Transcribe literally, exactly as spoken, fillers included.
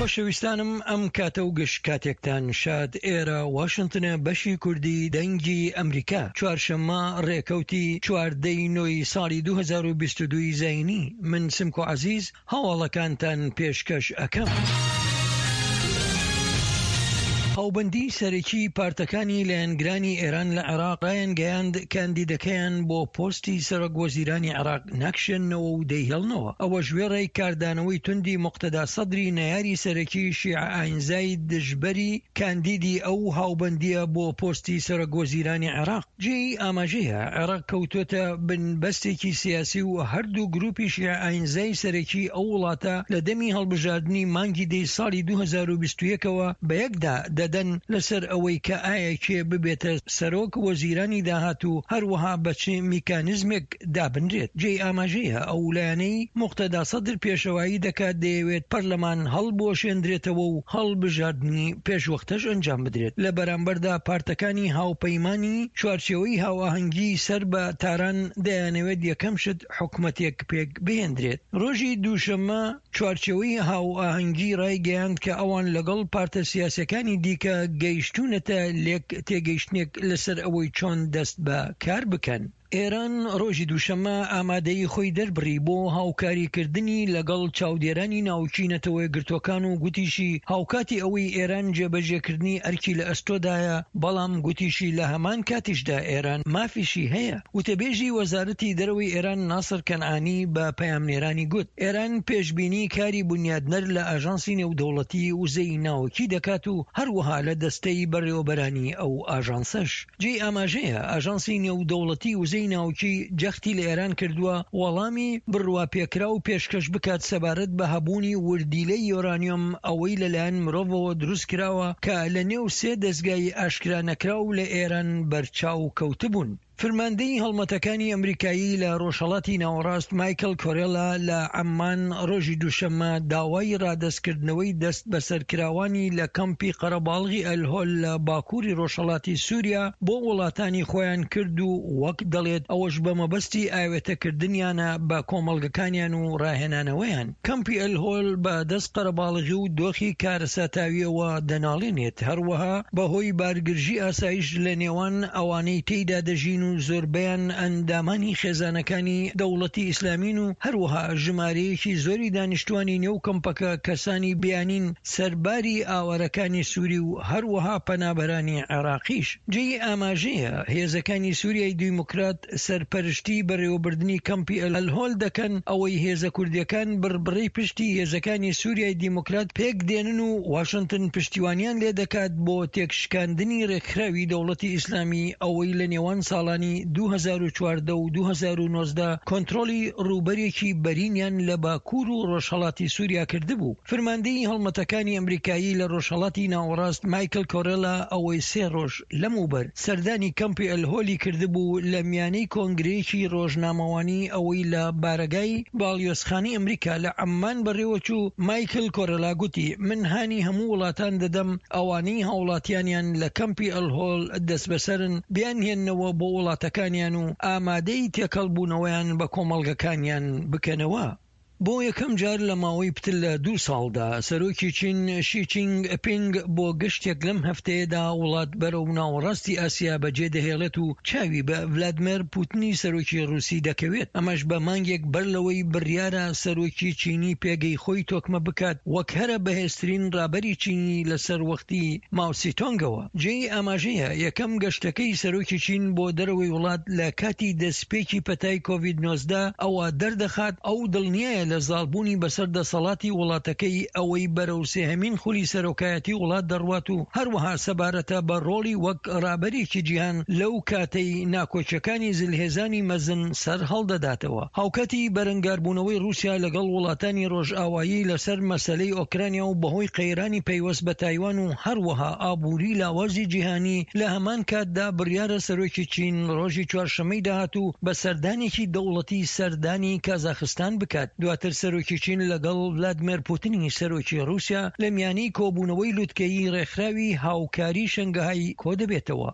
خۆشەویستانم، ئەم کاتە و گشت کاتێکتان شاد. ئێرە واشنتنە، بەشی کوردی دەنگی ئەمریکا. چوارشەممە ڕێکەوتی چواردەی نۆی ساڵی دوو هەزار و بیست و دوو زایینی، من سمکۆ عەزیز هەواڵەکانتان پێشکەش ئەکەم. هاوبەندی سەرەکی پارتەکانی لایەنگرانی ئێران لە عێراق ڕایانگەیاند کاندیدەکەیان بۆ پۆستی سەرۆک وەزیرانی عێراق ناکشێننەوە و دەیهێڵنەوە، ئەوەش وێڕای کاردانەوەی توندی موقتەدا سەدری نەیاری سەرەکی شیعە ئاینزای دژبەری کاندیدی ئەو هاوبەندییە بۆ پۆستی سەرۆک وەزیرانی عێراق. جێی ئاماژەیە عێراق کەوتۆتە بن بەستێکی سیاسی و هەردوو گروپی شیعە ئاینزای سەرەکی ئەو وڵاتە لە دەمی هەڵبژاردنی مانگی دەی ساڵی دوو هەزار و بیست و یەک ەوە بەیەکدا دەدەن لەسەر ئەوەی کە ئایا کێ ببێتە سەرۆک وەزیرانی داهاتوو، هەروەها بە چ میکانیزمێک دابنرێت. جێی ئاماژەیە ئەو لایەنەی موقتەدا سەدر پێشەوایی دەکات دەیەوێت پەرلەمان هەڵبوەشێندرێتەوە و هەڵبژاردنی پێشوەختەش ئەنجام بدرێت. لە بەرامبەردا پارتەکانی هاوپەیمانی چوارچێوەی هاوئاهەنگی سەر بە تاران دەیانەوێت یەکەم شت حکومەتێک پێک بهێندرێت. ڕۆژی دووشەممە چوارچێوەی هاوئاهەنگی ڕایگەیاند کە ئەوان لەگەڵ پارتە سیاسیەکانی دیکە گەیشتوونەتە لێک تێگەیشتنێک لەسەر ئەوەی چۆن دەست بە کار بکەن. ئێران ڕۆژی دووشەممە ئامادەیی خۆی دەربڕی بۆ هاوکاریکردنی لەگەڵ چاودێرانی ناوکی نەتەوەیەکگرتووەکان و گوتیشی هاوکاتی ئەوەی ئێران جێبەجێکردنی ئەرکی لە ئەستۆدایە، بەڵام گوتیشی لە هەمان کاتیشدا ئێران مافیشی هەیە. وتەبێژی وەزارەتی دەرەوەی ئێران ناسر کەنعانی بە پەیامنێرانی گوت، ئێران پێشبینی کاری بونیادنەر لە ئاژانسی نێودەوڵەتی وزەی ناوکی دەکات و هەروەها لە دەستەی بەڕێوەبەرانی ئەو ئاژانسەش. جێی ئاماژەیە ئاژانسی نێودەوڵەتی وزەی ناوکی جەختی لە ئێران کردووە وەڵامی بڕواپێکراو پێشکەش بکات سەبارەت بە هەبوونی وردیلەی یۆرانیۆم ئەوەی لەلایەن مرۆڤەوە دروست کراوە کە لە نێو سێ دەزگای ئاشکرا نەکراو لە ئێران بەرچاو کەوتبوون. فرماندەی هەڵمەتەکانی ئەمریکایی لە ڕۆژهەڵاتی ناوەڕاست مایکل کۆرێلا لە عەممان ڕۆژی دووشەممە داوای ڕادەستکردنەوەی دەست بەسەرکراوانی لە کەمپی قەرەباڵغی ئەلهۆل لە باکووری ڕۆژهەڵاتی سووریا بۆ وڵاتانی خۆیان کرد و وەک دەڵێت ئەوەش بە مەبەستی ئاوێتەکردنیانە بە کۆمەڵگەکانیان و ڕاهێنانەوەیان. کەمپی ئەلهۆل بە دەست قەرەباڵغی و دۆخی کارەساتاویەوە دەناڵێنێت، هەروەها بەهۆی بارگرژی ئاسایش لە نێوان ئەوانەی تێیدا دەژین و زۆربەیان ئەندامانی خێزانەکانی دەوڵەتی ئیسلامین و هەروەها ژمارەیەکی زۆری دانیشتوانی نێو کەمپەکە کەسانی بیانین سەرباری ئاوارەکانی سوری و هەروەها پەنابەرانی عێراقیش. جێی ئاماژەیە هێزەکانی سوریای دیموکرات سەرپەرشتی بەڕێوەبردنی کەمپی ئەلهۆل دەکەن، ئەوەی هێزە کوردیەکان بڕبڕەی پشتی هێزەکانی سوریای دیموکرات پێک دێنن و واشنتن پشتیوانیان لێدەکات بۆ تێکشکاندنی ڕێکخراوی دەوڵەتی ئیسلامی ئەوەی لە نێوان ساڵانی دوو هەزار و چواردە و دوو هەزار و نۆزدە کۆنترۆڵی ڕووبەرێکی بەرینیان لە باکوور و ڕۆژهەڵاتی سوریا کردبوو. فرماندەی هەڵمەتەکانی ئەمریکایی لە ڕۆژهەڵاتی ناوەڕاست مایکل کۆرێلا ئەوەی سێ ڕۆژ لەمەوبەر سەردانی کەمپی ئەلهۆلی کردبوو لە میانەی کۆنگرەیەکی ڕۆژنامەوانی ئەوەی لە بارەگای باڵیۆزخانەی ئەمریکا لە عەممان بەڕێوەچوو، مایکل کۆرێلا گوتی من هانی هەموو وڵاتان دەدەم ئەوانەی هاوڵاتیانیان لە کەمپی ئەلهۆل دەستبەسەرن بیانهێننەوە بۆ وڵاتەکانیان و ئامادەی تێکەڵبوونەوەیان بە کۆمەڵگەکانیان بکەنەوە. بۆ یەکەم جار لە ماوەی پتر لە دوو ساڵدا سەرۆکی چین شی چینگ پینگ بۆ گەشتێک لەم هەفتەیەدا وڵات بەرەو ناوەڕاستی ئاسیا بەجێ دەهێڵێت و چاوی بە ڤلادمێر پوتنی سەرۆکی ڕووسی دەکەوێت، ئەمەش بە مانگێک بەر لەوەی بڕیارە سەرۆکی چینی پێگەی خۆی تۆکمە بکات وەک هەرە بەهێزترین ڕابەری چینی لەسەر وەختی ماوسیتۆنگەوە. جێی ئاماژەیە یەکەم گەشتەکەی سەرۆکی چین بۆ دەرەوەی وڵات لە کاتی دەستپێکی پەتای کۆڤید نۆزدە ئەوە دەردەخات ئەو دڵنیایە لە زاڵبوونی بەسەر دەسەڵاتی وڵاتەکەی ئەوەی بەرەو سێهەمین خولی سەرۆکایەتی وڵات دەڕوات و هەروەها سەبارەتە بە ڕۆڵی وەک ڕابەرێکی جیهان لەو کاتەی ناکۆکیەکانی زلهێزانی مەزن سەر هەڵدەداتەوە. هاوکاتی بەرەنگاربوونەوەی ڕووسیا لەگەڵ وڵاتانی ڕۆژئاوایی لەسەر مەسەلەی ئۆکرانیا و بەهۆی قەیرانی پەیوەست بە تایوان و هەروەها ئابووری لاوازی جیهانی لە هەمان کاتدا بڕیارە سەرۆکی چین ڕۆژی چوارشەممەی داهاتوو بە سەردانێکی دەوڵەتی سەردانی کازاخستان بکات. دواتر سەرۆکی چین لەگەڵ ڤلادمێر پوتنی سەرۆکی ڕووسیا لە میانەی کۆبوونەوەی لوتکەیی ڕێکخراوی هاوکاری شەنگەهای کۆدەبێتەوە.